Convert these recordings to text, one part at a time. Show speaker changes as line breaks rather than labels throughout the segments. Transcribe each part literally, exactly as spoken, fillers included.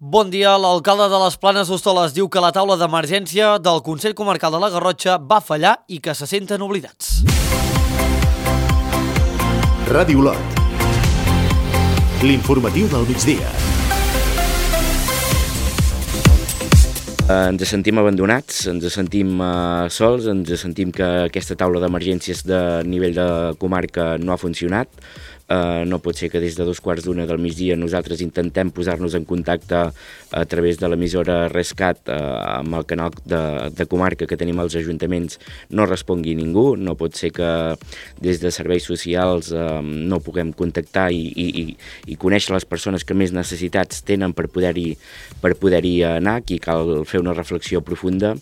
Bon dia. L'alcalde de les Planes d'Hostoles diu que la taula d'emergència del Consell Comarcal de la Garrotxa va fallar i que se senten oblidats.
Ràdio Olot. L'informatiu del migdia.
Ens sentim abandonats, ens sentim uh, sols, ens sentim que aquesta taula d'emergències de nivell de comarca no ha funcionat. Uh, no pot ser que des de dos quarts d'una del migdia nosaltres intentem posar-nos en contacte a través de l'emissora Rescat uh, amb el canal de, de comarca que tenim als ajuntaments, no respongui ningú. No pot ser que des de serveis socials uh, no puguem contactar i, i, i conèixer les persones que més necessitats tenen per poder-hi per poder-hi anar. Aquí cal fer una reflexió profunda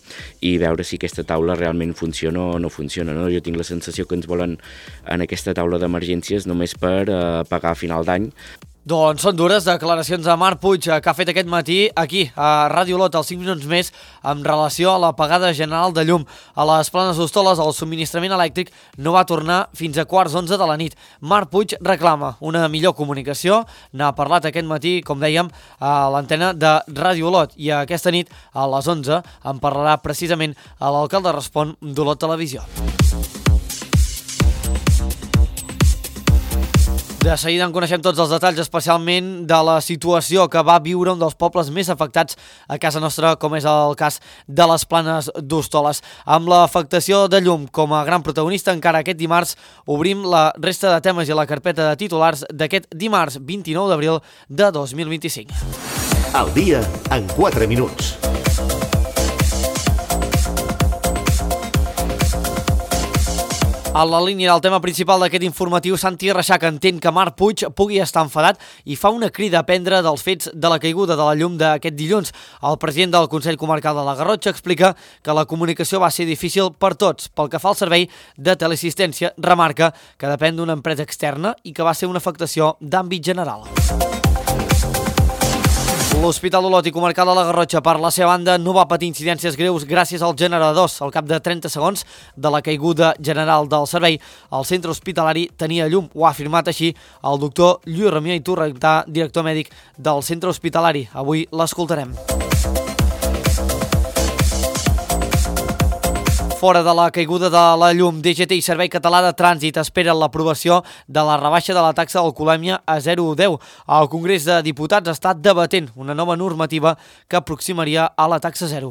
i veure si aquesta taula realment funciona o no funciona, no? Jo tinc la sensació que ens volen en aquesta taula d'emergències només per per pagar a final d'any.
Doncs són dures declaracions de Marc Puig que ha fet aquest matí aquí a Ràdio Olot, als cinc minuts més, amb relació a la pagada general de llum. A les Planes d'Hostoles el subministrament elèctric no va tornar fins a quarts onze de la nit. Marc Puig reclama una millor comunicació, n'ha parlat aquest matí, com dèiem, a l'antena de Ràdio Olot, i aquesta nit a les onze en parlarà precisament a l'alcalde Respon d'Olot Televisió. De seguida en coneixem tots els detalls, especialment de la situació que va viure un dels pobles més afectats a casa nostra, com és el cas de les Planes d'Hostoles. Amb l'afectació de llum com a gran protagonista, encara aquest dimarts obrim la resta de temes i la carpeta de titulars d'aquest dimarts vint-i-nou d'abril de dos mil vint-i-cinc.
Al dia en quatre minuts.
A la línia del tema principal d'aquest informatiu, Santi Reixac entén que Marc Puig pugui estar enfadat i fa una crida a aprendre dels fets de la caiguda de la llum d'aquest dilluns. El president del Consell Comarcal de la Garrotxa explica que la comunicació va ser difícil per tots. Pel que fa al servei de teleassistència, remarca que depèn d'una empresa externa i que va ser una afectació d'àmbit general. L'Hospital Olot i Comarcal de la Garrotxa, per la seva banda, no va patir incidències greus gràcies als generadors. Al cap de trenta segons de la caiguda general del servei, el centre hospitalari tenia llum. Ho ha afirmat així el doctor Lluís Ramió Iturrentà, director mèdic del centre hospitalari. Avui l'escoltarem. Fora de la caiguda de la llum, D G T i Servei Català de Trànsit esperen l'aprovació de la rebaixa de la taxa d'alcoholèmia a zero coma deu. El Congrés de Diputats està debatent una nova normativa que aproximaria a la taxa zero.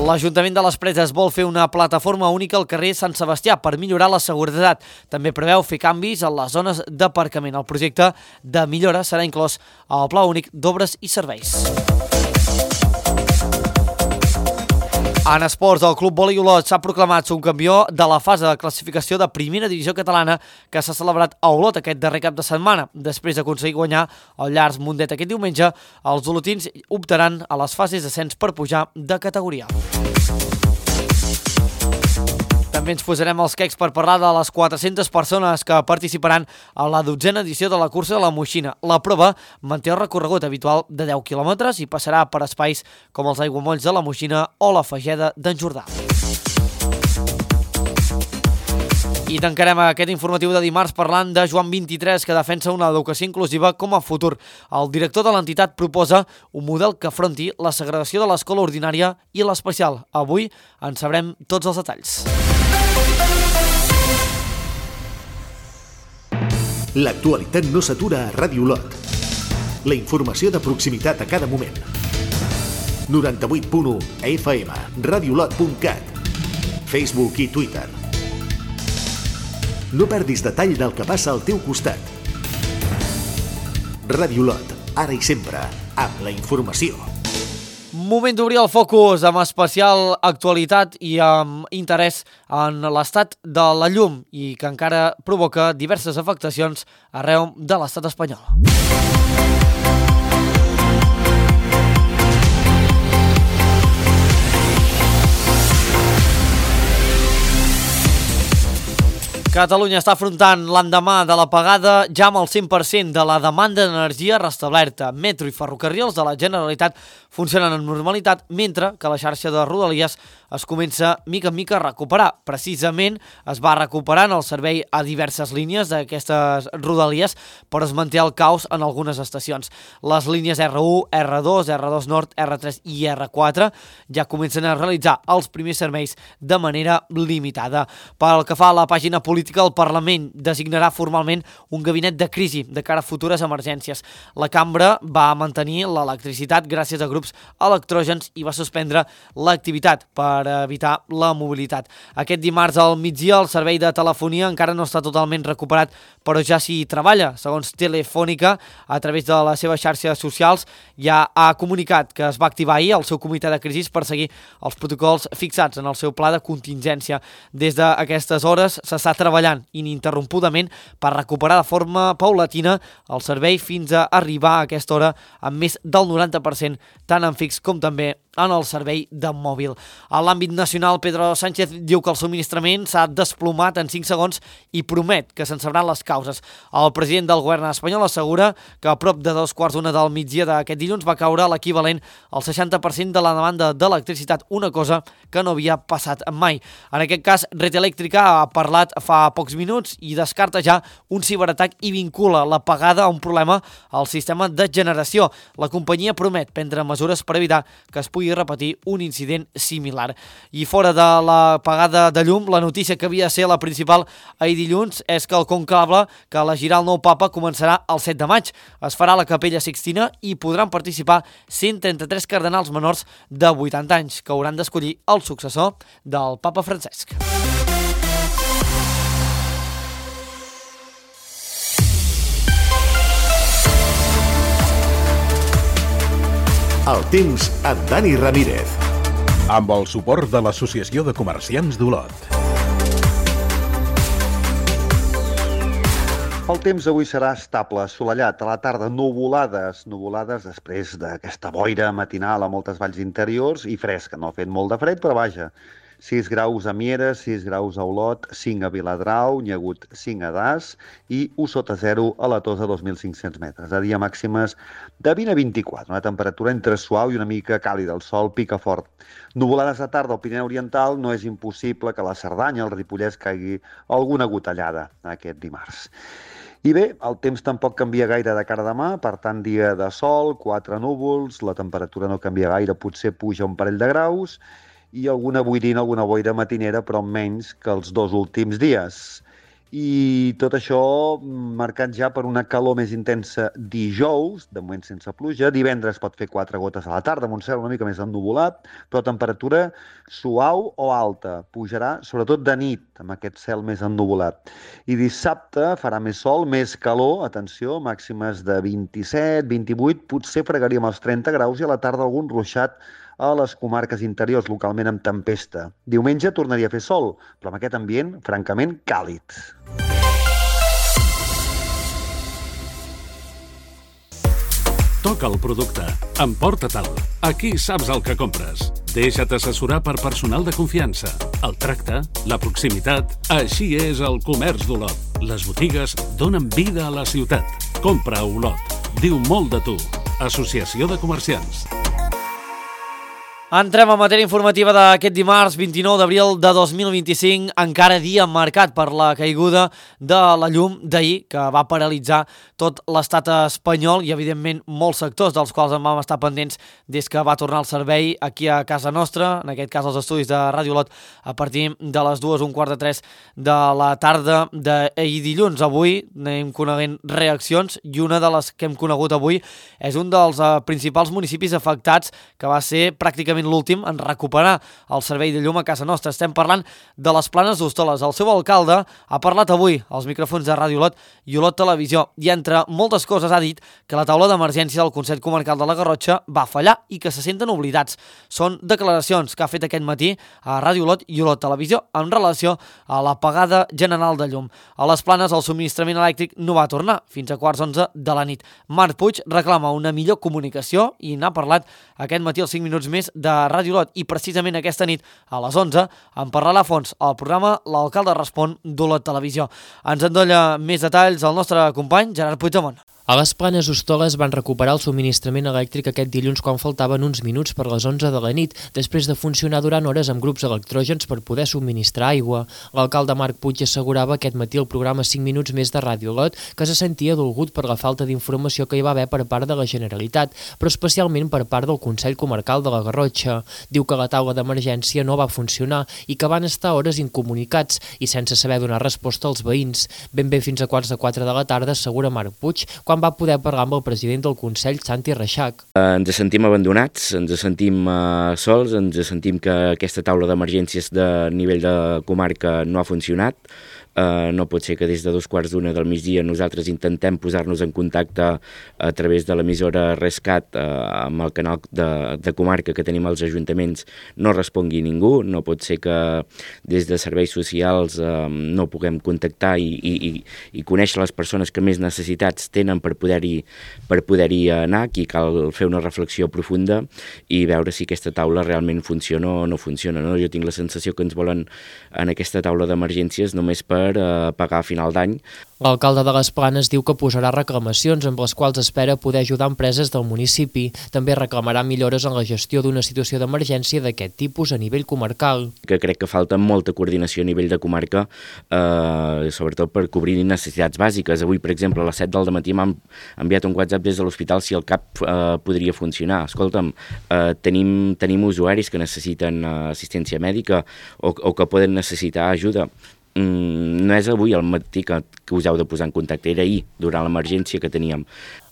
L'Ajuntament de les Preses vol fer una plataforma única al carrer Sant Sebastià per millorar la seguretat. També preveu fer canvis a les zones d'aparcament. El projecte de millora serà inclòs al Pla Únic d'Obres i Serveis. En esports, el Club Vòlei Olot s'ha proclamat subcampió de la fase de classificació de primera divisió catalana que s'ha celebrat a Olot aquest darrer cap de setmana. Després d'aconseguir guanyar el Llars Mundet aquest diumenge, els olotins optaran a les fases d'ascens per pujar de categoria. També ens posarem els quecs per parlar de les quatre-centes persones que participaran a la dotzena edició de la cursa de la Moixina. La prova manté el recorregut habitual de deu quilòmetres i passarà per espais com els aiguamolls de la Moixina o la Fageda d'en Jordà. I tancarem aquest informatiu de dimarts parlant de Joan vint-i-tres, que defensa una educació inclusiva com a futur. El director de l'entitat proposa un model que afronti la segregació de l'escola ordinària i l'especial. Avui en sabrem tots els detalls.
L'actualitat no s'atura a Ràdio Olot. La informació de proximitat a cada moment. noranta-vuit punt u F M, radiolot punt cat, Facebook i Twitter. No perdis detall del que passa al teu costat. Ràdio Olot, ara i sempre, amb la informació.
Moment d'obrir el focus amb especial actualitat i amb interès en l'estat de la llum i que encara provoca diverses afectacions arreu de l'estat espanyol. Catalunya està afrontant l'endemà de l'apagada ja amb el cent per cent de la demanda d'energia restablerta. Metro i ferrocarrils de la Generalitat funcionen amb normalitat, mentre que la xarxa de Rodalies es comença mica en mica a recuperar. Precisament es va recuperant el servei a diverses línies d'aquestes rodalies, però es manté el caos en algunes estacions. Les línies erre u, erre dos, erre dos Nord, erre tres i erre quatre ja comencen a realitzar els primers serveis de manera limitada. Pel que fa a la pàgina política, el Parlament designarà formalment un gabinet de crisi de cara a futures emergències. La cambra va mantenir l'electricitat gràcies a grups electrògens i va suspendre l'activitat per evitar la mobilitat. Aquest dimarts al migdia el servei de telefonia encara no està totalment recuperat, però ja s'hi treballa. Segons Telefònica, a través de les seves xarxes socials, ja ha comunicat que es va activar ahir el seu comitè de crisi per seguir els protocols fixats en el seu pla de contingència. Des d'aquestes hores s'està treballant ininterrompudament per recuperar de forma paulatina el servei fins a arribar a aquesta hora amb més del noranta per cent, tant en fix com també en el servei de mòbil. A l'àmbit nacional, Pedro Sánchez diu que el subministrament s'ha desplomat en cinc segons i promet que se'n sabran les causes. El president del govern espanyol assegura que a prop de dos quarts d'una del migdia d'aquest dilluns va caure l'equivalent al seixanta per cent de la demanda d'electricitat, una cosa que no havia passat mai. En aquest cas, Red Eléctrica ha parlat fa pocs minuts i descarta ja un ciberatac i vincula l'apagada a un problema al sistema de generació. La companyia promet prendre mesures per evitar que es pugui pugui repetir un incident similar. I fora de l'apagada de llum, la notícia que havia de ser la principal ahir dilluns és que el conclave que elegirà el nou papa començarà el set de maig. Es farà a la Capella Sixtina i podran participar cent trenta-tres cardenals menors de vuitanta anys, que hauran d'escollir el successor del papa Francesc.
El temps amb Dani Ramírez.
Amb el suport de l'Associació de Comerciants d'Olot.
El temps avui serà estable, assolellat, a la tarda nuvolades, nuvolades després d'aquesta boira matinal a moltes valls interiors i fresca, no ha fet molt de fred, però vaja, sis graus a Mieres, sis graus a Olot, cinc a Viladrau, n'hi ha hagut cinc a Das i u sota zero a la Tosa, dos mil cinc-cents metres. A dia màximes de vint a vint-i-quatre, una temperatura entre suau i una mica càlida, el sol pica fort. Nuvolades a tarda al Pirineu Oriental, no és impossible que a la Cerdanya, al Ripollès, caigui alguna gotellada aquest dimarts. I bé, el temps tampoc canvia gaire de cara a demà, per tant, dia de sol, quatre núvols, la temperatura no canvia gaire, potser puja un parell de graus, i alguna boirina, alguna boira matinera, però menys que els dos últims dies. I tot això marcat ja per una calor més intensa dijous, de moment sense pluja. Divendres pot fer quatre gotes a la tarda, amb un cel una mica més ennuvolat, però temperatura suau o alta. Pujarà sobretot de nit, amb aquest cel més ennuvolat. I dissabte farà més sol, més calor, atenció, màximes de vint-i-set, vint-i-vuit, potser fregaríem els trenta graus i a la tarda algun ruixat a les comarques interiors, localment amb tempesta. Diumenge tornaria a fer sol, però amb aquest ambient francament càlid.
Toca el producte. Emporta-te'l. Aquí saps el que compres. Deixa't assessorar per personal de confiança. El tracte, la proximitat, així és el comerç d'Olot. Les botigues donen vida a la ciutat. Compra a Olot. Diu molt de tu. Associació de Comerciants.
Entrem a matèria informativa d'aquest dimarts vint-i-nou d'abril de dos mil vint-i-cinc, encara dia marcat per la caiguda de la llum d'ahir, que va paralitzar tot l'estat espanyol i, evidentment, molts sectors dels quals en vam estar pendents des que va tornar el servei aquí a casa nostra, en aquest cas als estudis de Ràdio Olot, a partir de les dues, un quart de tres de la tarda d'ahir dilluns. Avui anem coneguent reaccions i una de les que hem conegut avui és un dels uh, principals municipis afectats, que va ser pràcticament l'últim en recuperar el servei de llum a casa nostra. Estem parlant de les Planes d'Hostoles. El seu alcalde ha parlat avui als micròfons de Ràdio Olot i Olot Televisió i, entre moltes coses, ha dit que la taula d'emergència del Consell Comarcal de la Garrotxa va fallar i que se senten oblidats. Són declaracions que ha fet aquest matí a Ràdio Olot i Olot Televisió en relació a l'apagada general de llum. A les Planes el subministrament elèctric no va tornar fins a quarts onze de la nit. Marc Puig reclama una millor comunicació i n'ha parlat aquest matí als cinc minuts més de Ràdio Olot, i precisament aquesta nit a les onze en parlarà a fons al programa L'Alcalde Respon d'Olot Televisió. Ens endolla més detalls el nostre company Gerard Puigdemont.
A les Planes d'Hostoles van recuperar el subministrament elèctric aquest dilluns quan faltaven uns minuts per les onze de la nit, després de funcionar durant hores amb grups electrògens per poder subministrar aigua. L'alcalde Marc Puig assegurava aquest matí al programa cinc minuts més de Ràdio Lot que se sentia dolgut per la falta d'informació que hi va haver per part de la Generalitat, però especialment per part del Consell Comarcal de la Garrotxa. Diu que la taula d'emergència no va funcionar i que van estar hores incomunicats i sense saber donar resposta als veïns. Ben bé fins a quarts de quatre de la tarda, assegura Marc Puig, quan va poder parlar amb el president del Consell, Santi Reixac.
Eh, ens sentim abandonats, ens sentim eh, sols, ens sentim que aquesta taula d'emergències de nivell de comarca no ha funcionat. Uh, no pot ser que des de dos quarts d'una del migdia nosaltres intentem posar-nos en contacte a través de l'emissora Rescat uh, amb el canal de, de comarca que tenim als ajuntaments, no respongui ningú. No pot ser que des de serveis socials uh, no puguem contactar i, i, i conèixer les persones que més necessitats tenen per poder-hi per poder-hi anar. Aquí cal fer una reflexió profunda i veure si aquesta taula realment funciona o no funciona, no? Jo tinc la sensació que ens volen en aquesta taula d'emergències només per per pagar a final d'any.
L'alcalde de les Planes diu que posarà reclamacions amb les quals espera poder ajudar empreses del municipi. També reclamarà millores en la gestió d'una situació d'emergència d'aquest tipus a nivell comarcal.
Que crec que falta molta coordinació a nivell de comarca, eh, sobretot per cobrir necessitats bàsiques. Avui, per exemple, a les set del matí m'han enviat un WhatsApp des de l'hospital si el C A P eh, podria funcionar. Escolta'm, eh, tenim, tenim usuaris que necessiten eh, assistència mèdica o, o que poden necessitar ajuda. Mm, no és avui al matí que, que us heu de posar en contacte, era ahir, durant l'emergència que teníem.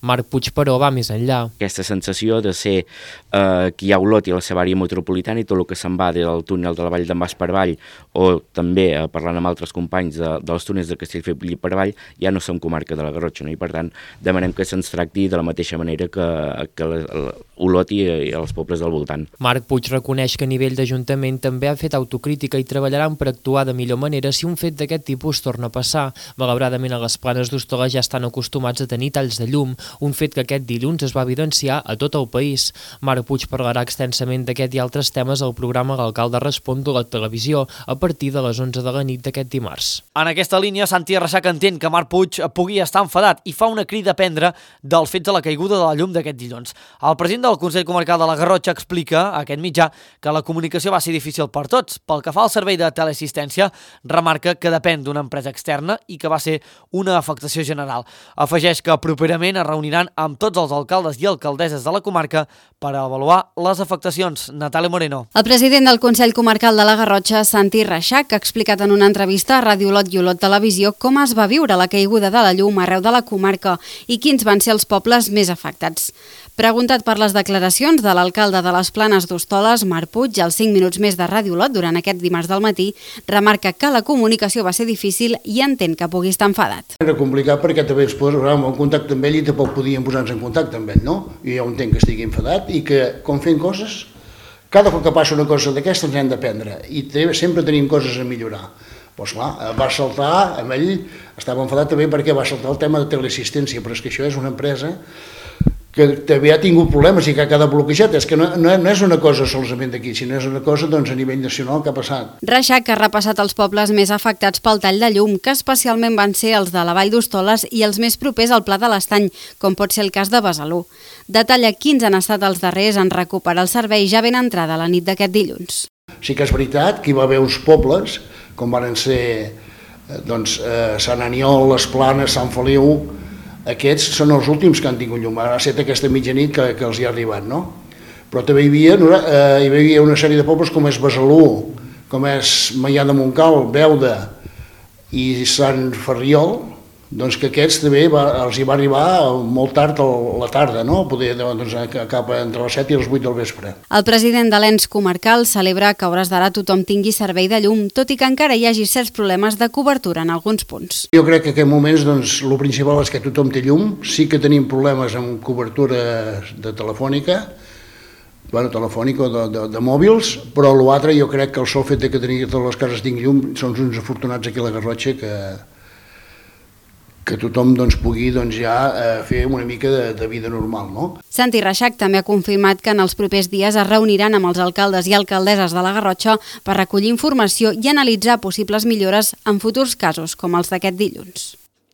Marc Puig, però, va més enllà.
Aquesta sensació de ser eh, que hi ha Olot i la seva àrea metropolitana i tot el que se'n va del túnel de la Vall d'en Bas per Avall, o també eh, parlant amb altres companys de, dels túnels de Castellfabib per Avall, ja no som comarca de la Garrotxa, no? I per tant demanem que se'ns tracti de la mateixa manera que, que la, la, Olot i, i els pobles del voltant.
Marc Puig reconeix que a nivell d'Ajuntament també ha fet autocrítica i treballaran per actuar de millor manera si un fet d'aquest tipus torna a passar. Malauradament a les Planes d'Hostoles ja estan acostumats a tenir talls de llum, un fet que aquest dilluns es va evidenciar a tot el país. Marc Puig parlarà extensament d'aquest i altres temes al programa L'Alcalde Respon de la televisió a partir de les onze de la nit d'aquest dimarts.
En aquesta línia, Santi Reixac entén que Marc Puig pugui estar enfadat i fa una crida a prendre dels fets de la caiguda de la llum d'aquest dilluns. El president del Consell Comarcal de la Garrotxa explica a aquest mitjà que la comunicació va ser difícil per tots. Pel que fa al servei de teleassistència, remarca que depèn d'una empresa externa i que va ser una afectació general. Afegeix que properament es reuniran amb tots els alcaldes i alcaldesses de la comarca per avaluar les afectacions. Natàlia Moreno.
El president del Consell Comarcal de la Garrotxa, Santi Reixac, ha explicat en una entrevista a Ràdio Lot i Olot Televisió com es va viure la caiguda de la llum arreu de la comarca i quins van ser els pobles més afectats. Preguntat per les declaracions de l'alcalde de les Planes d'Hostoles, Marc Puig, als cinc minuts més de Ràdio Lot durant aquest dimarts del matí, remarca que la comunicació va ser difícil i entén que pugui estar enfadat.
Era complicat perquè també es posàvem en contacte amb ell i tampoc podíem posar-nos en contacte amb ell, no? I jo entenc que estigui enfadat i que, com fent coses, cada cop que passa una cosa d'aquesta ens hem d'aprendre i sempre tenim coses a millorar. Doncs clar, va saltar, amb ell estava enfadat també perquè va saltar el tema de teleassistència, però és que això és una empresa que també ha tingut problemes i que ha quedat bloquejat. És que no, no, no és una cosa solament d'aquí, sinó és una cosa doncs, a nivell nacional que ha passat.
Reixac ha repassat els pobles més afectats pel tall de llum, que especialment van ser els de la Vall d'Hostoles i els més propers al Pla de l'Estany, com pot ser el cas de Besalú. Detalla quins han estat els darrers en recuperar el servei ja ben entrada la nit d'aquest dilluns.
Sí que és veritat que hi va haver uns pobles, com van ser doncs, eh, Sant Aniol, les Planes, Sant Feliu. Aquests són els últims que han tingut llum, ha estat aquesta mitjanit que, que els hi ha arribat, no? Però també hi havia, eh, hi havia una sèrie de pobles com és Besalú, com és Maià de Montcal, Beuda i Sant Ferriol, doncs que aquests també va, els hi va arribar molt tard a la tarda, no? Poder, doncs, cap entre les set i les vuit del vespre.
El president de l'ens comarcal celebra que a hores d'ara tothom tingui servei de llum, tot i que encara hi hagi certs problemes de cobertura en alguns punts.
Jo crec que en aquests moments doncs, el principal és que tothom té llum, sí que tenim problemes amb cobertura de telefònica, bueno, telefònica o de, de, de mòbils, però l'altre jo crec que el sol fet que tenir totes les cases tinguin llum són uns afortunats aquí a la Garrotxa que que tothom doncs, pugui doncs, ja eh, fer una mica de, de vida normal. No?
Santi Reixac també ha confirmat que en els propers dies es reuniran amb els alcaldes i alcaldesses de la Garrotxa per recollir informació i analitzar possibles millores en futurs casos com els d'aquest dilluns.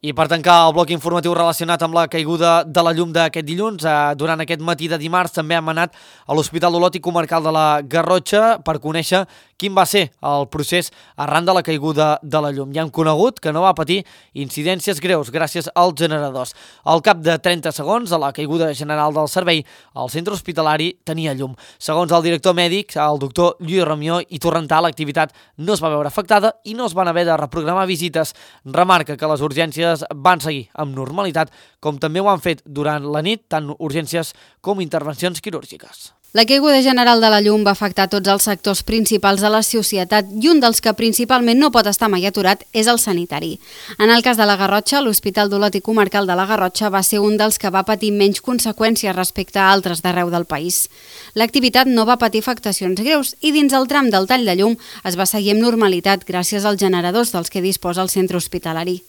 I per tancar el bloc informatiu relacionat amb la caiguda de la llum d'aquest dilluns, eh, durant aquest matí de dimarts també hem anat a l'Hospital d'Olot i Comarcal de la Garrotxa per conèixer quin va ser el procés arran de la caiguda de la llum. Ja hem conegut que no va patir incidències greus gràcies als generadors. Al cap de trenta segons, a la caiguda general del servei, el centre hospitalari tenia llum. Segons el director mèdic, el doctor Lluís Ramió i Torrentà, l'activitat no es va veure afectada i no es van haver de reprogramar visites. Remarca que les urgències van seguir amb normalitat, com també ho han fet durant la nit, tant urgències com intervencions quirúrgiques.
La caiguda general de la llum va afectar tots els sectors principals de la societat i un dels que principalment no pot estar mai aturat és el sanitari. En el cas de la Garrotxa, l'Hospital d'Olot i Comarcal de la Garrotxa va ser un dels que va patir menys conseqüències respecte a altres d'arreu del país. L'activitat no va patir afectacions greus i dins el tram del tall de llum es va seguir amb normalitat gràcies als generadors dels que disposa el centre hospitalari.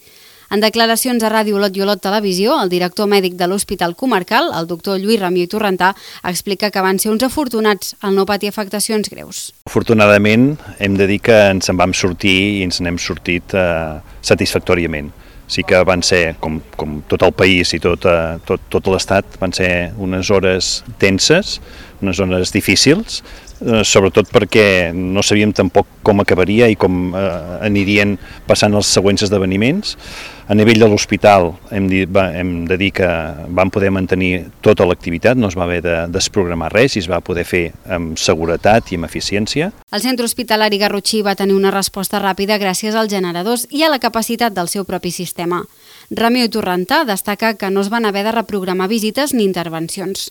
En declaracions a Ràdio Olot i Olot Televisió, el director mèdic de l'Hospital Comarcal, el doctor Lluís Ramió i Torrentà, explica que van ser uns afortunats al no patir afectacions greus.
Afortunadament, hem de dir que ens en vam sortir i ens n'hem sortit eh, satisfactòriament. Sí que van ser, com, com tot el país i tot, eh, tot, tot l'Estat, van ser unes hores tenses, unes hores difícils, eh, sobretot perquè no sabíem tampoc com acabaria i com eh, anirien passant els següents esdeveniments. A nivell de l'hospital hem, dit, va, hem de dir que vam poder mantenir tota l'activitat, no es va haver de desprogramar res i es va poder fer amb seguretat i amb eficiència.
El centre hospitalari garrotxí va tenir una resposta ràpida gràcies als generadors i a la capacitat del seu propi sistema. Ramió i Torrentà destaca que no es van haver de reprogramar visites ni intervencions.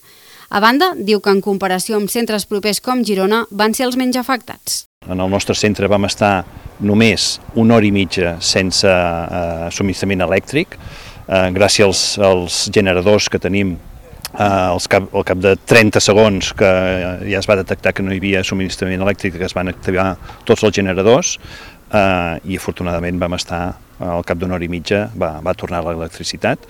A banda, diu que en comparació amb centres propers com Girona van ser els menys afectats.
En el nostre centre vam estar només una hora i mitja sense eh, subministrament elèctric, eh, gràcies als, als generadors que tenim. Eh, als cap, al cap de trenta segons que ja es va detectar que no hi havia subministrament elèctric, que es van activar tots els generadors eh, i afortunadament vam estar al cap d'una hora i mitja va, va tornar l'electricitat.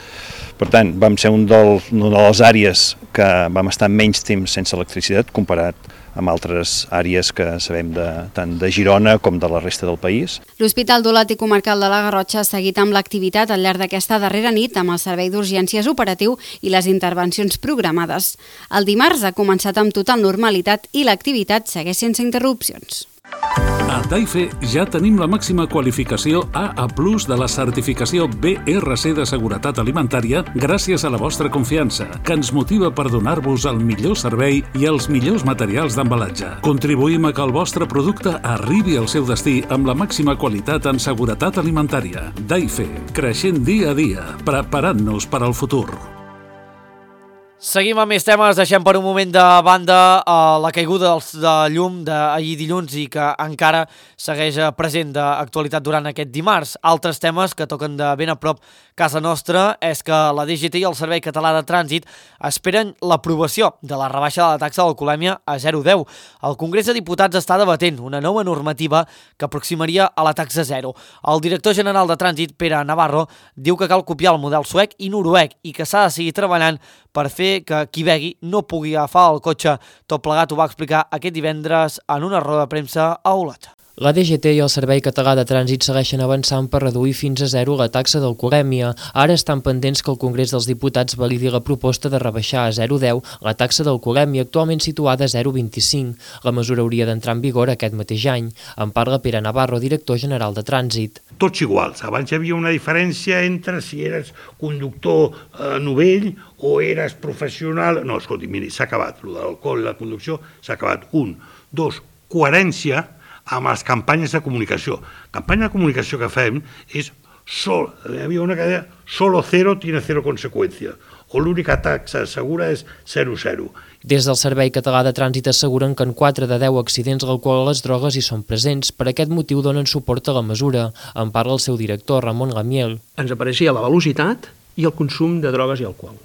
Per tant, vam ser un dels, una de les àrees que vam estar menys temps sense electricitat comparat amb altres àrees que sabem de, tant de Girona com de la resta del país.
L'Hospital d'Olot i Comarcal de la Garrotxa ha seguit amb l'activitat al llarg d'aquesta darrera nit amb el servei d'urgències operatiu i les intervencions programades. El dimarts ha començat amb total normalitat i l'activitat segueix sense interrupcions.
A Daife ja tenim la màxima qualificació A A plus de la certificació B R C de seguretat alimentària gràcies a la vostra confiança, que ens motiva per donar-vos el millor servei i els millors materials d'embalatge. Contribuïm a que el vostre producte arribi al seu destí amb la màxima qualitat en seguretat alimentària. Daife, creixent dia a dia, preparant-nos per al futur.
Seguim amb més temes, deixem per un moment de banda uh, la caiguda de llum d'ahir dilluns i que encara segueix present d'actualitat durant aquest dimarts. Altres temes que toquen de ben a prop casa nostra és que la D G T i el Servei Català de Trànsit esperen l'aprovació de la rebaixa de la taxa d'alcoholèmia a zero coma deu. El Congrés de Diputats està debatent una nova normativa que aproximaria a la taxa zero. El director general de Trànsit, Pere Navarro, diu que cal copiar el model suec i noruec i que s'ha de seguir treballant per fer que qui begui no pugui agafar el cotxe. Tot plegat ho va explicar aquest divendres en una roda de premsa a Olot.
La D G T i el Servei Català de Trànsit segueixen avançant per reduir fins a zero la taxa d'alcoholèmia. Ara estan pendents que el Congrés dels Diputats validi la proposta de rebaixar a zero coma deu la taxa d'alcoholèmia actualment situada a zero coma vint-i-cinc. La mesura hauria d'entrar en vigor aquest mateix any. En parla Pere Navarro, director general de Trànsit.
Tots iguals. Abans hi havia una diferència entre si eres conductor eh, novell o eres professional. No, escolti, miri, s'ha acabat. El de l'alcohol i la conducció s'ha acabat. Un. Dos, coherència amb les campanyes de comunicació. La campanya de comunicació que fem és sol, hi havia una que deia solo cero tiene cero conseqüència, o l'única taxa segura és zero zero.
Des del Servei Català de Trànsit asseguren que en quatre de deu accidents l'alcohol o les drogues hi són presents. Per aquest motiu donen suport a la mesura. En parla el seu director, Ramon Gamiel.
Ens apareixia la velocitat i el consum de drogues i alcohol.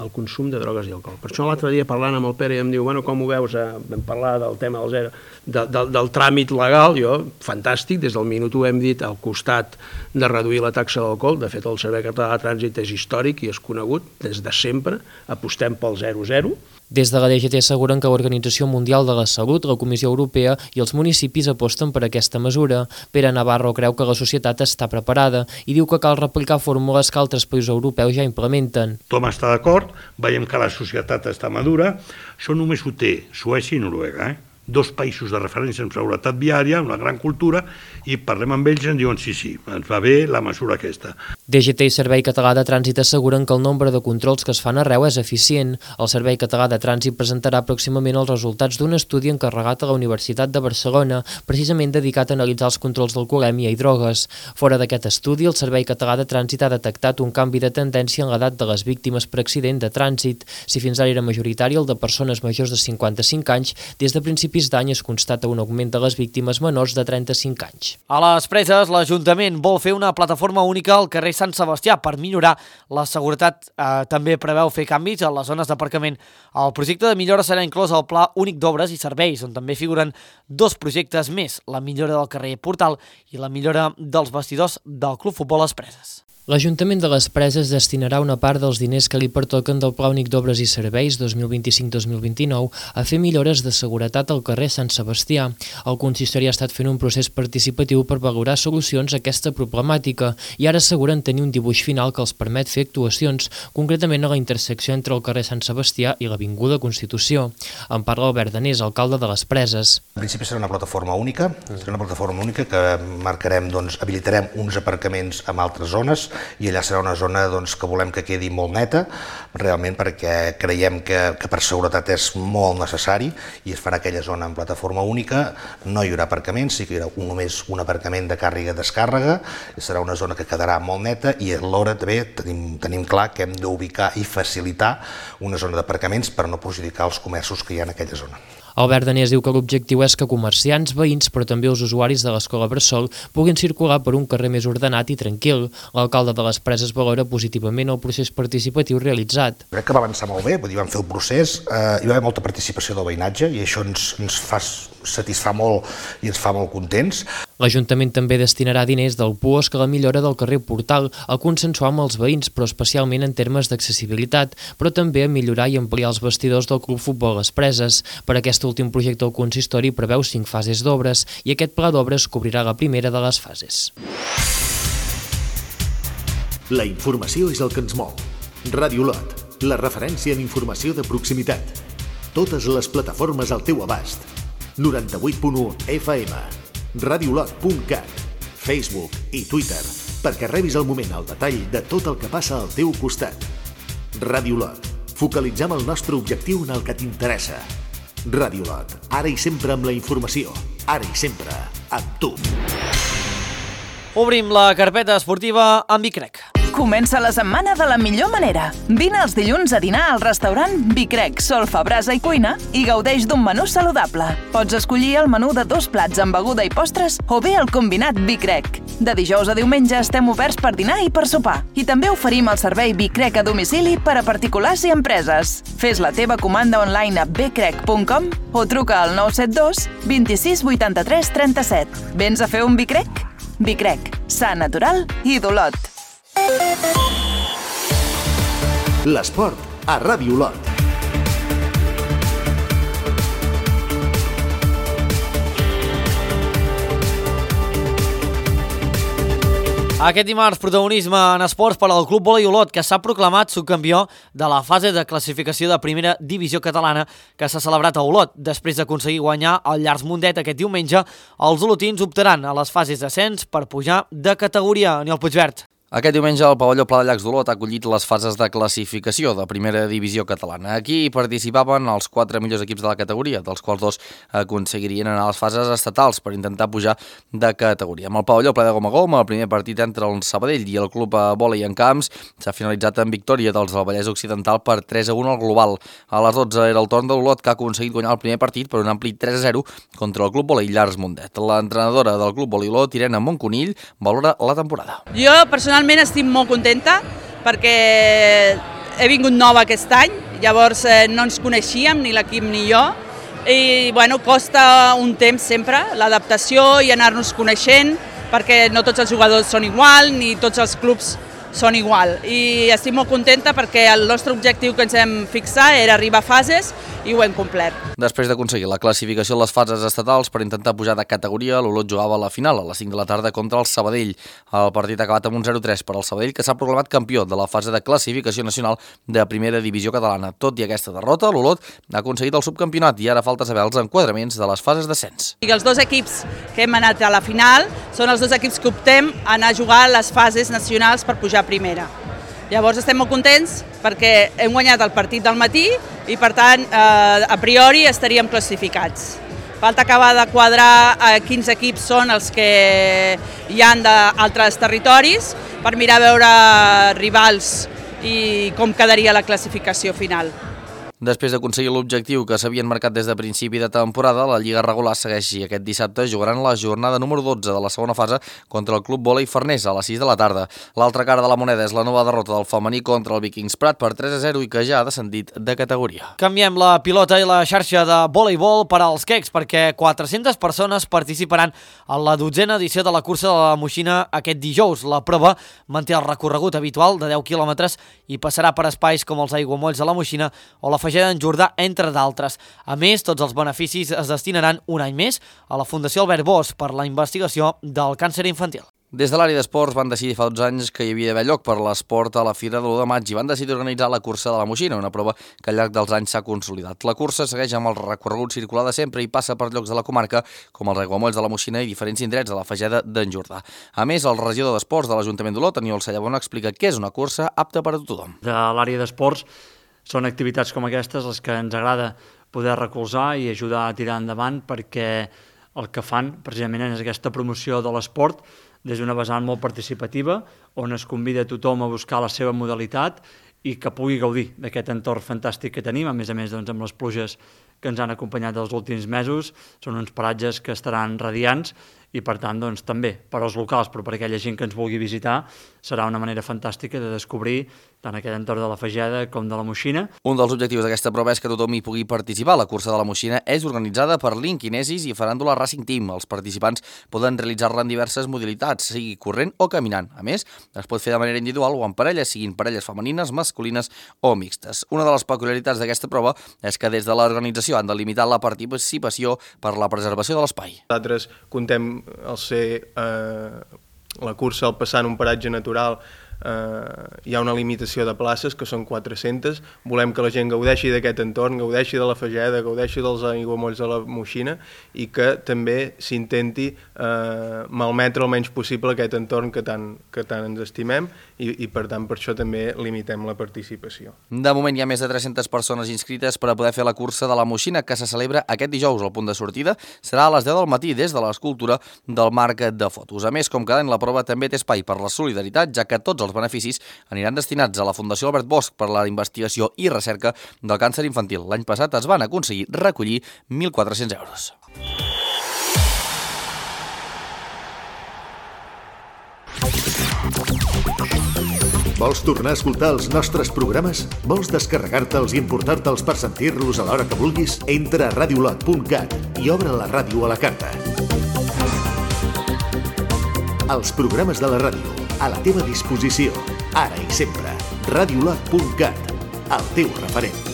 el consum de drogues i alcohol. Per això l'altre dia parlant amb el Pere em diu, bueno, com ho veus? Eh? Vam parlar del tema del, zero, de, de, del tràmit legal, jo, fantàstic, des del minut ho hem dit, al costat de reduir la taxa d'alcohol. De fet, el Servei Català de Trànsit és històric i és conegut des de sempre, apostem pel zero zero.
Des de la D G T asseguren que l'Organització Mundial de la Salut, la Comissió Europea i els municipis aposten per aquesta mesura. Pere Navarro creu que la societat està preparada i diu que cal replicar fórmules que altres països europeus ja implementen.
Tothom està d'acord, veiem que la societat està madura, això només ho té Suècia i Noruega, eh? Dos països de referència en seguretat viària, una gran cultura, i parlem amb ells i ens diuen sí, sí, ens va bé la mesura aquesta.
D G T i Servei Català de Trànsit asseguren que el nombre de controls que es fan arreu és eficient. El Servei Català de Trànsit presentarà pròximament els resultats d'un estudi encarregat a la Universitat de Barcelona, precisament dedicat a analitzar els controls d'alcoholèmia i drogues. Fora d'aquest estudi, el Servei Català de Trànsit ha detectat un canvi de tendència en l'edat de les víctimes per accident de trànsit. Si fins ara era majoritari el de persones majors de cinquanta-cinc anys, des de principis d'any es constata un augment de les víctimes menors de trenta-cinc anys.
A les Preses, l'Ajuntament vol fer una plataforma única al carrer Sant Sebastià per millorar la seguretat. Eh, també preveu fer canvis a les zones d'aparcament. El projecte de millora serà inclòs al Pla Únic d'Obres i Serveis, on també figuren dos projectes més, la millora del carrer Portal i la millora dels vestidors del Club Futbol Les Preses.
L'Ajuntament de les Preses destinarà una part dels diners que li pertoquen del Pla Únic d'Obres i Serveis dos mil vint-i-cinc dos mil vint-i-nou a fer millores de seguretat al carrer Sant Sebastià. El consistori ha estat fent un procés participatiu per valorar solucions a aquesta problemàtica i ara asseguren tenir un dibuix final que els permet fer actuacions, concretament a la intersecció entre el carrer Sant Sebastià i l'Avinguda Constitució. En parla Albert Danés, alcalde de les Preses.
En principi serà una plataforma única, serà una plataforma única que marcarem, doncs, habilitarem uns aparcaments en altres zones i allà serà una zona doncs, que volem que quedi molt neta, realment perquè creiem que, que per seguretat és molt necessari i es farà aquella zona en plataforma única, no hi haurà aparcaments, sí que hi haurà un, només un aparcament de càrrega-descàrrega, serà una zona que quedarà molt neta i alhora també tenim, tenim clar que hem d'ubicar i facilitar una zona d'aparcaments per no perjudicar els comerços que hi ha en aquella zona.
Albert Danés diu que l'objectiu és que comerciants, veïns, però també els usuaris de l'escola Bressol puguin circular per un carrer més ordenat i tranquil. L'alcalde de les Preses valora positivament el procés participatiu realitzat.
Crec que va avançar molt bé, vull dir, vam fer el procés, eh, hi va haver molta participació del veïnatge i això ens, ens fa satisfà molt i ens fa molt contents.
L'Ajuntament també destinarà diners del puosc a la millora del carrer Portal, a consensuar amb els veïns, però especialment en termes d'accessibilitat, però també a millorar i ampliar els vestidors del Club Futbol Les Preses. Per aquest últim projecte el consistori preveu cinc fases d'obres i aquest pla d'obres cobrirà la primera de les fases.
La informació és el que ens mou. Ràdio Lot, la referència en informació de proximitat. Totes les plataformes al teu abast. noranta-vuit punt u F M, radiolot punt cat, Facebook i Twitter, perquè rebis al moment el detall de tot el que passa al teu costat. Ràdio Lot, focalitzem el nostre objectiu en el que t'interessa. Ràdio Lot, ara i sempre amb la informació, ara i sempre amb tu.
Obrim la carpeta esportiva amb Bicrec.
Comença la setmana de la millor manera. Vine els dilluns a dinar al restaurant Bicrec, solfa, brasa i cuina i gaudeix d'un menú saludable. Pots escollir el menú de dos plats amb beguda i postres o bé el combinat Bicrec. De dijous a diumenge estem oberts per dinar i per sopar. I també oferim el servei Bicrec a domicili per a particulars i empreses. Fes la teva comanda online a bcrec punt com o truca al nou set dos, vint-i-sis, vuitanta-tres, trenta-set. Vens a fer un Bicrec? Bicrec, sa, natural i d'Olot.
L'esport a Ràdio Lot.
Aquest dimarts, protagonisme en esports per al Club Vòlei Olot, que s'ha proclamat subcampió de la fase de classificació de primera divisió catalana que s'ha celebrat a Olot. Després d'aconseguir guanyar el Llars Mundet aquest diumenge, els olotins optaran a les fases d'ascens per pujar de categoria. Aniol Puigvert.
Aquest diumenge el pavelló Pla de Llacs d'Olot ha acollit les fases de classificació de primera divisió catalana. Aquí participaven els quatre millors equips de la categoria, dels quals dos aconseguirien anar a les fases estatals per intentar pujar de categoria. Amb el pavelló Ple de Gom a Gom, el primer partit entre el Sabadell i el Club Vòlei en Camps s'ha finalitzat en victòria dels del Vallès Occidental per tres a un al global. A les dotze era el torn de l'Olot, que ha aconseguit guanyar el primer partit per un ampli tres a zero contra el Club Vòlei Llars Mundet. L'entrenadora del Club Vòlei Olot, Irene Monconill, valora la temporada.
Jo personalment estic molt contenta perquè he vingut nova aquest any, llavors eh, no ens coneixíem, ni l'equip ni jo, i bueno, costa un temps sempre l'adaptació i anar-nos coneixent, perquè no tots els jugadors són igual, ni tots els clubs són igual. I estic molt contenta perquè el nostre objectiu que ens hem fixat era arribar a fases i ho hem complert.
Després d'aconseguir la classificació a les fases estatals per intentar pujar de categoria, l'Olot jugava a la final a les cinc de la tarda contra el Sabadell. El partit ha acabat amb un zero tres per al Sabadell, que s'ha proclamat campió de la fase de classificació nacional de primera divisió catalana. Tot i aquesta derrota, l'Olot ha aconseguit el subcampionat i ara falta saber els enquadraments de les fases d'ascens.
I els dos equips que hem anat a la final són els dos equips que optem a anar a jugar a les fases nacionals per pujar a primera. Llavors estem molt contents perquè hem guanyat el partit del matí i per tant eh, a priori estaríem classificats. Falta acabar de quadrar eh, quins equips són els que hi han d'altres territoris per mirar a veure rivals i com quedaria la classificació final.
Després d'aconseguir l'objectiu que s'havien marcat des de principi de temporada, la Lliga regular segueix i aquest dissabte jugaran la jornada número dotze de la segona fase contra el Club Vòlei Farners a les sis de la tarda. L'altra cara de la moneda és la nova derrota del femení contra el Vikings Prat per tres a zero i que ja ha descendit de categoria.
Canviem la pilota i la xarxa de voleibol per als quecs perquè quatre-centes persones participaran en la dotzena edició de la cursa de la Moixina aquest dijous. La prova manté el recorregut habitual de deu quilòmetres i passarà per espais com els aiguamolls de la Moixina o la Fageda d'en Jordà, entre d'altres. A més, tots els beneficis es destinaran un any més a la Fundació Albert Bosch per la investigació del càncer infantil.
Des de l'àrea d'esports van decidir fa dotze anys que hi havia d'haver lloc per l'esport a la Fira de l'u de maig i van decidir organitzar la cursa de la Moixina, una prova que al llarg dels anys s'ha consolidat. La cursa segueix amb el recorregut circular de sempre i passa per llocs de la comarca com els aiguamolls de la Moixina i diferents indrets de la Fageda d'en Jordà. A més, el regidor d'Esports de l'Ajuntament d'Olot, Aniol Sallabona, explica què és una cursa apta per a tothom.
De l'àrea d'esports són activitats com aquestes les que ens agrada poder recolzar i ajudar a tirar endavant perquè el que fan precisament és aquesta promoció de l'esport des d'una vessant molt participativa on es convida a tothom a buscar la seva modalitat i que pugui gaudir d'aquest entorn fantàstic que tenim, a més a més doncs, amb les pluges que ens han acompanyat els últims mesos. Són uns paratges que estaran radiants i per tant doncs, també per als locals però per aquella gent que ens vulgui visitar serà una manera fantàstica de descobrir tant aquest entorn de la Fageda com de la Moixina.
Un dels objectius d'aquesta prova és que tothom hi pugui participar. La cursa de la Moixina és organitzada per l'Inquinesis i Faràndula Racing Team. Els participants poden realitzar-la en diverses modalitats, sigui corrent o caminant. A més, es pot fer de manera individual o en parelles, siguin parelles femenines, masculines o mixtes. Una de les peculiaritats d'aquesta prova és que des de l'organització han delimitat la participació per la preservació de l'espai.
Nosaltres contem al ser eh, la cursa al passar en un paratge natural eh, hi ha una limitació de places que són quatre-centes, volem que la gent gaudeixi d'aquest entorn, gaudeixi de la Fageda, gaudeixi dels aiguamolls de la Moixina i que també s'intenti eh, malmetre el menys possible aquest entorn que tant, que tant ens estimem i, i per tant per això també limitem la participació.
De moment hi ha més de tres-centes persones inscrites per a poder fer la cursa de la Moixina que se celebra aquest dijous. El punt de sortida serà a les deu del matí des de l'escultura del marc de fotos. A més, com cada any, la prova també té espai per la solidaritat, ja que tots els beneficis aniran destinats a la Fundació Albert Bosch per la investigació i recerca del càncer infantil. L'any passat es van aconseguir recollir mil quatre-cents euros.
Vols tornar a escoltar els nostres programes? Vols descarregar-te'ls i emportar-te'ls per sentir-los a l'hora que vulguis? Entra a radiolot punt cat i obre la ràdio a la carta. Els programes de la ràdio, a la teva disposició, ara i sempre. radiolot punt cat, el teu referent.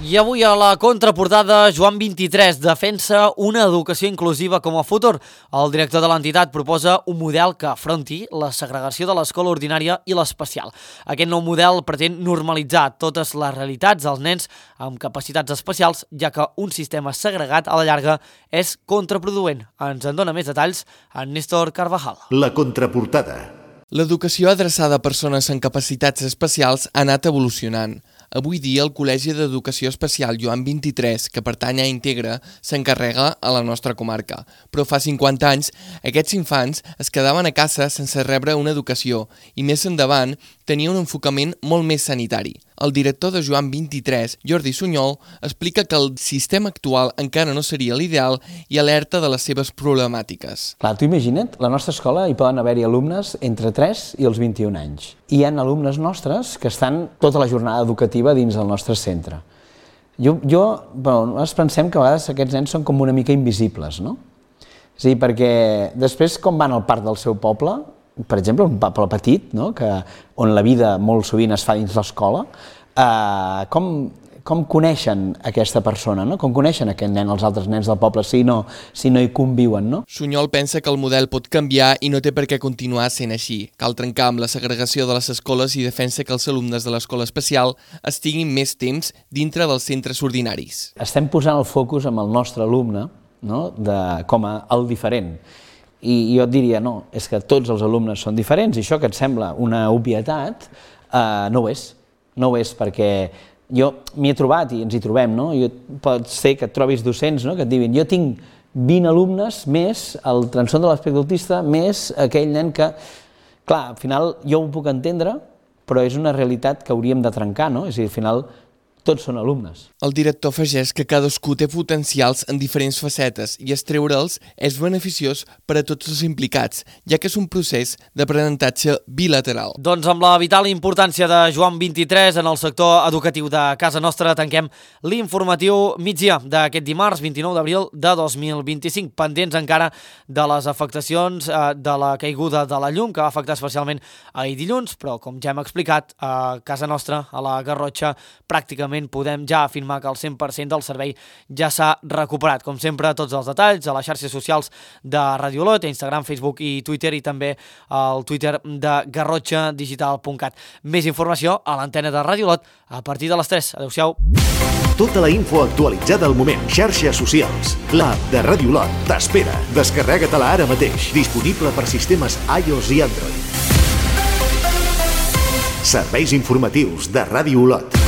I avui a la contraportada, Joan vint-i-tres defensa una educació inclusiva com a futur. El director de l'entitat proposa un model que afronti la segregació de l'escola ordinària i l'especial. Aquest nou model pretén normalitzar totes les realitats dels nens amb capacitats especials, ja que un sistema segregat a la llarga és contraproduent. Ens en dona més detalls en Néstor Carvajal.
La contraportada.
L'educació adreçada a persones amb capacitats especials ha anat evolucionant. Avui dia el Col·legi d'Educació Especial Joan vint-i-tres, que pertany a Integra, s'encarrega a la nostra comarca. Però fa cinquanta anys aquests infants es quedaven a casa sense rebre una educació i més endavant tenia un enfocament molt més sanitari. El director de Joan vint-i-tres, Jordi Sunyol, explica que el sistema actual encara no seria l'ideal i alerta de les seves problemàtiques.
Clar, tu imagina't, a la nostra escola hi poden haver-hi alumnes entre tres i els vint-i-un anys. I hi ha alumnes nostres que estan tota la jornada educativa dins del nostre centre. Jo, jo bueno, nosaltres pensem que a vegades aquests nens són com una mica invisibles, no? És a dir, perquè després com van al parc del seu poble, per exemple, un poble petit, no? que, on la vida molt sovint es fa dins l'escola, eh, com, com coneixen aquesta persona, no? Com coneixen aquest nen, els altres nens del poble, si no, si no hi conviuen, no?
Sunyol pensa que el model pot canviar i no té per què continuar sent així. Cal trencar amb la segregació de les escoles i defensa que els alumnes de l'escola especial estiguin més temps dintre dels centres ordinaris.
Estem posant el focus amb el nostre alumne, no? de, com a el diferent. I jo et diria, no, és que tots els alumnes són diferents i això que et sembla una obvietat, eh, no ho és. No ho és perquè jo m'hi he trobat i ens hi trobem, no? Jo, pot ser que et trobis docents, no? que et diguin jo tinc vint alumnes més el trastorn de l'espectre autista, més aquell nen que... Clar, al final jo ho puc entendre, però és una realitat que hauríem de trencar, no? És a dir, al final tots són alumnes.
El director afegeix que cadascú té potencials en diferents facetes i extreure'ls és beneficiós per a tots els implicats, ja que és un procés d'aprenentatge bilateral.
Doncs amb la vital importància de Joan vint-i-tres en el sector educatiu de casa nostra tanquem l'informatiu migdia d'aquest dimarts vint-i-nou d'abril de dos mil vint-i-cinc, pendents encara de les afectacions de la caiguda de la llum que va afectar especialment ahir dilluns, però com ja hem explicat, a casa nostra, a la Garrotxa, pràcticament podem ja afirmar que el cent per cent del servei ja s'ha recuperat. Com sempre, tots els detalls a les xarxes socials de Ràdio Olot, Instagram, Facebook i Twitter, i també al Twitter de garrotxa digital punt cat. Més informació a l'antena de Ràdio Olot a partir de les tres. Adéu-siau.
Tota la info actualitzada al moment. Xarxes socials. L'app de Ràdio Olot t'espera. Descarrega-te-la ara mateix. Disponible per sistemes iOS i Android. Serveis informatius de Ràdio Olot.